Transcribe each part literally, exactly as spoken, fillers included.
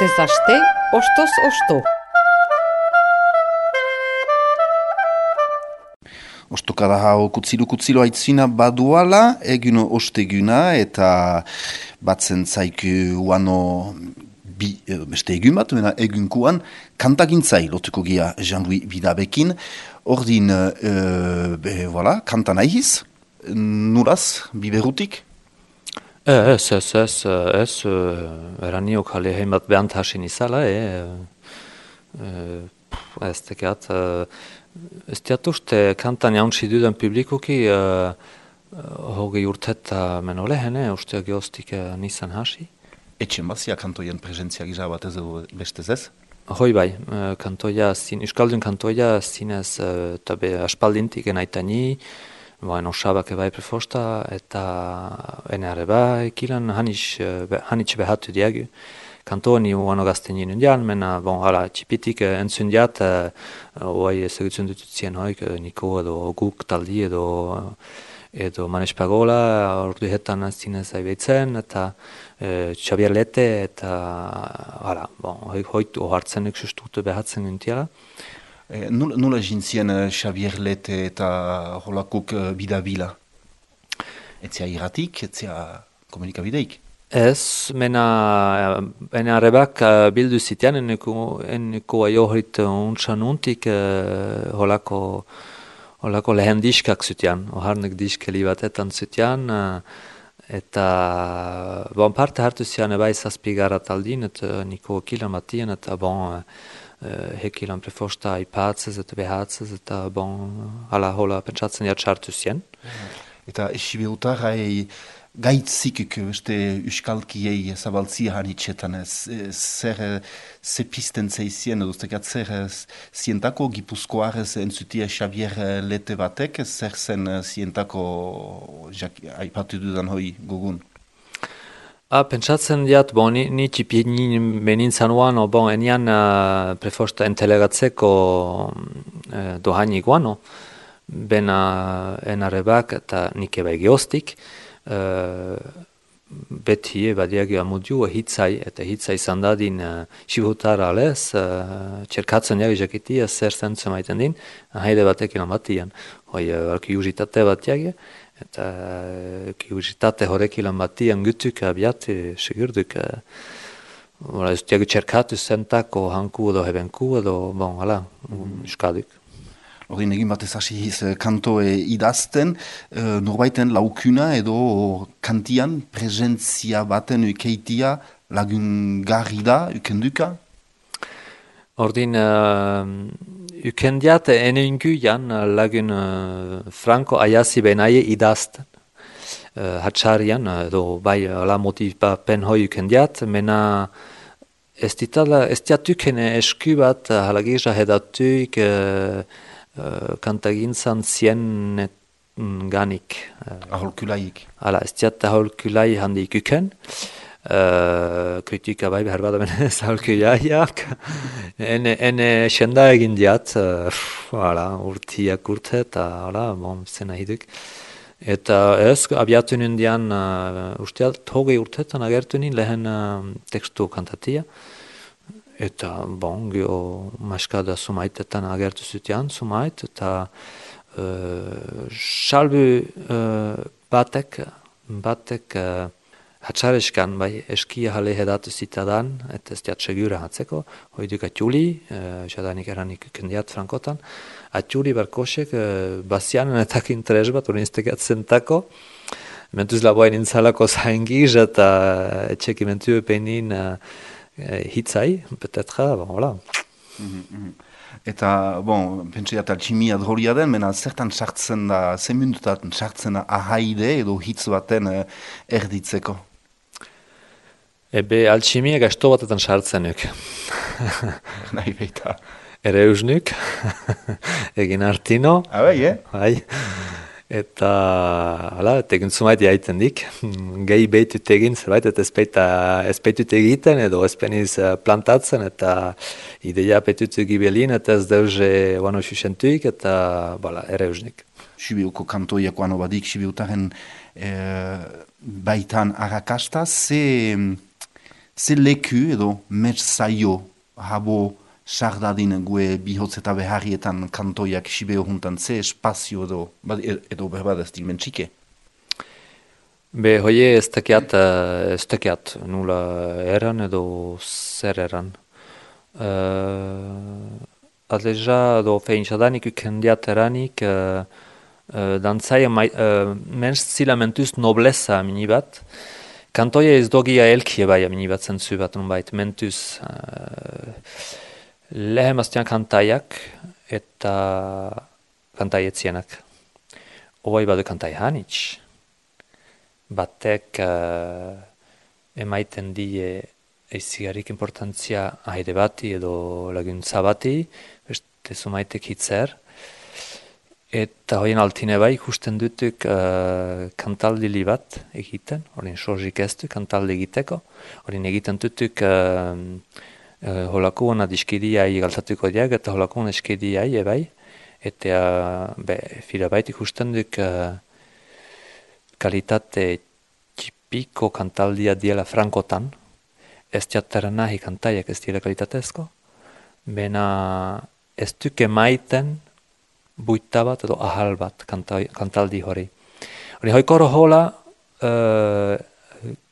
Astez aste, ostoz osto. Ostokada hau kutzilo-kutzilo aitzina baduala, egun osteguna eta batzen zaiku uano bi, beste egun bat, mena egunkuan kantagintzai lotuko gia Jean-Louis Bidabekin. Ordin, e, be, voilà, kanta nahiz, nuraz, biberutik? Ez, ez, ez, ez, eraniok jale heimat behant hasin izala, e, ez tekeat, ez teat uste kantan jauntsi duden publikuki, hogei urteta meno lehene, uste geostik nizan hasi. Etxen bazia kantoien presentzia gisa bat ez bestez ez? Hoi bai, kantoia, euskaldun kantoia zinez, eta be aspaldintik enaitani, Baina osabak ebai prefosta eta enare bai, kilan hanitxe behatu diagu. Kantoni uano gazten jinen dian, mena, bon, hala, txipitik entzun diat, oai ezagutzen dututzien hoik, niko edo guk taldi edo edo manespagola, ordu hetan zinez aibeitzen, eta Xabier Lete, eta, hala, bon, hoik ohartzen nik sustutu behatzen gintiala. Nula, nula jintzien uh, Xabier Lete eta holakuk uh, bidabila? Etzia irratik, etzia komunikabideik? Ez, mena enarebak uh, bildu zitean, eneko, eneko aiohrit untsan untik uh, holako, holako lehen diskak zitean, oharnek diskeli batetan zitean, uh, eta bon parte hartu zian ebai zazpigara taldin, eta niko kilan batien, eta bon, uh, hekilan prefosta aipatzez eta behatzez eta bon, hala hola pentsatzen jatxartu zien. Eta esibeutarrai gaitzikik beste euskalkiei zabaltzia hanitxetan, zer ze pisten zeizien, edo zekat zer zientako gipuzkoarez entzutia Xabier Lete batek, zer zen zientako aipatu dudan hoi gugun? Ah, pentsatzen diat, bon, ni, ni txipien benintzan uan, bon, enian uh, prefosta entelegatzeko uh, dohaini guano, bena enarebak eta nik ebai geostik, uh, beti ebadiagi amudiu hitzai, eta hitzai zandadin uh, xibutara alez, uh, txerkatzen jagi jakitia zer zentzen maiten din, haide batek ilan batian, hoi uh, kiuzitate bat jagi, eta kiuzitate horrek ilan batian gutuk abiat, segurduk, uh, ez diagu txerkatu zentako hanku edo hebenku edo, bon, hala, mm. uskaduk. Horien egin batez hasi hiz kantoe idazten, uh, norbaiten laukuna edo kantian presentzia baten ukeitia lagun garri da, ukenduka? Ordin, uh, ukendiat ene inguian lagun uh, Franco Ayasi benaie idazten. Uh, hatxarian, edo bai la motivapen hoi ukendiat, mena ez diatukene esku bat halagirra hedatuik uh, uh, kantagintzan zien ganik. Uh, aholkulaik. Hala, ez diat aholkulai handik uken. Uh, kritika bai behar bada benez aholkulaiak. ene, ene senda egin diat, uh, hala, urtiak urte eta hala, bon, zena hiduk. Eta ez, abiatu nindian, uh, usteat, hogei urtetan agertu nien lehen uh, tekstu kantatia. Eta, bon, gio maskada sumaitetan agertu zutian, sumait, eta uh, salbu uh, batek, batek uh, hatxareskan, bai, eskia jale hedatu zitadan, eta ez diat segura hatzeko, hoiduk atjuli, uh, jadanik eranik kendiat frankotan, atjuli barkosek uh, bazianen eta interes bat urinztekat zentako, mentuz laboain intzalako zaingiz eta etxeki mentu epeinin uh, hitzai, petetra, bon, hola. Mm-hmm. Eta, bon, pentsiat alchimia drolia den, mena zertan sartzen da, zen minutatan sartzen da ahaide edo hitz baten uh, erditzeko? Ebe alchimia gasto batetan sartzenuk. Nahi beita. Ere eusnuk, egin artino. Ah, bai, eh? Bai. Eta, hala, tegin zumait jaiten dik. Gehi behitut egin, zerbait, eta ezpeitut egiten, edo ezpeniz plantatzen, eta ideia petut gibelin, eta ez deuze guano xuxentuik, eta, bala, ere eusnik. Sibiuko kantoiak guano badik, Sibiutaren eh, baitan arrakasta, ze... ze leku edo merzaio habo sardadin gue bihotz eta beharrietan kantoiak sibeo juntan, ze espazio edo, edo berbad ez dimen txike? Be, hoie ez tekiat, ez tekiat, nula eran edo zer eran. Uh, Adleja do feintxadanik ukendiat eranik, uh, uh, dantzaia uh, mens zila mentuz nobleza mini bat, kantoia ez dogia elkie bai mini bat zentzu bat nun bait, mentuz uh, lehemaztian kantaiak eta kantaietienak. Oai badu kantai hanitz. Batek uh, emaiten die eizigarik importantzia haide bati edo laguntza bati, beste zumaitek hitzer. Eta hoien altine bai ikusten dutuk uh, kantaldili bat egiten, horien sorzik ez du kantaldi egiteko, horien egiten dutuk uh, uh, holako hona diskidiai galtatuko diak eta holako hona diskidiai ebai, eta uh, be, fira bait ikusten duk uh, kalitate txipiko kantaldia diela frankotan, ez diatera nahi kantaiak ez diela kalitatezko, bena ez duke maiten buita bat edo ahal bat kantai, kantaldi hori. Hori hoikoro hola, uh,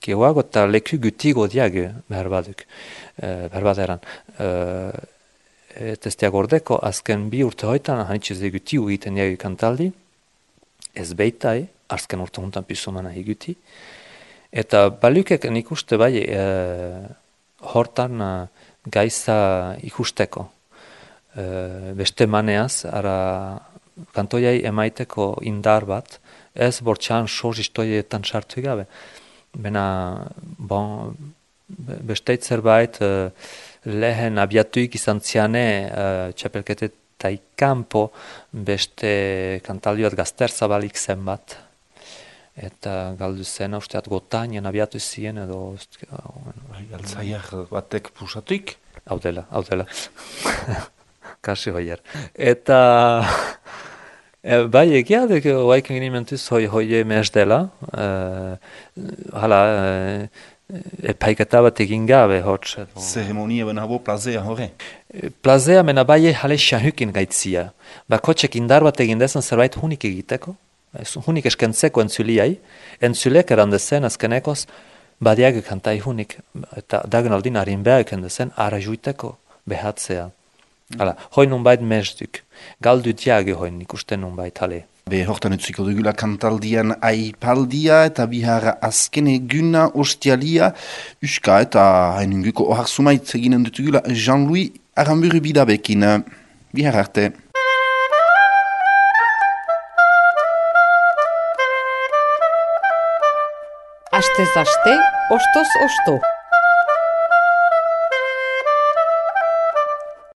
keuago eta leku gutigo diagu behar baduk, uh, behar baderan. Uh, et ez diagordeko, azken bi urte hoitan, hanitxez egutiu egiten diagu kantaldi, ez beitai, azken urte huntan pisumana eguti, eta balukek nik uste bai e, hortan e, gaiza ikusteko. E, beste maneaz, ara kantoiai emaiteko indar bat, ez bortxan soz istoietan sartu gabe. Bena, bon, besteit zerbait e, lehen abiatuik izan ziane e, txapelketetai kanpo beste kantaldi bat gazter zabalik zen bat. Eta galdu zen, usteat gotainen abiatu ziren edo... Altzaiak batek pusatuik? Hau dela, hau dela. Kasi hoier. Eta... E, bai, egia, oaiken gini mentuz hoi hoie mez dela. E, hala, e, epaiketa bat egin gabe, hotz. Zeremonia ben habo plazea hori? Plazea mena bai jale xahukin gaitzia. Bakotxek indar bat egin dezen zerbait hunik egiteko. Hunik eskentzeko entzuliai, entzulek erandezen azkenekoz, badiak kantai hunik, eta dagen aldin harin behar ekendezen, ara juiteko behatzea. Hala, hoi nun bait mezduk, galdu diage hoi ikusten nun bait, hale. Be, hortan utziko dugula kantaldian aipaldia eta bihara azken eguna ostialia, uska eta hainunguko ohar sumaitz eginen dutugula Jean-Louis Aramburu bidabekin. Bihar arte. Astez aste, ostoz osto.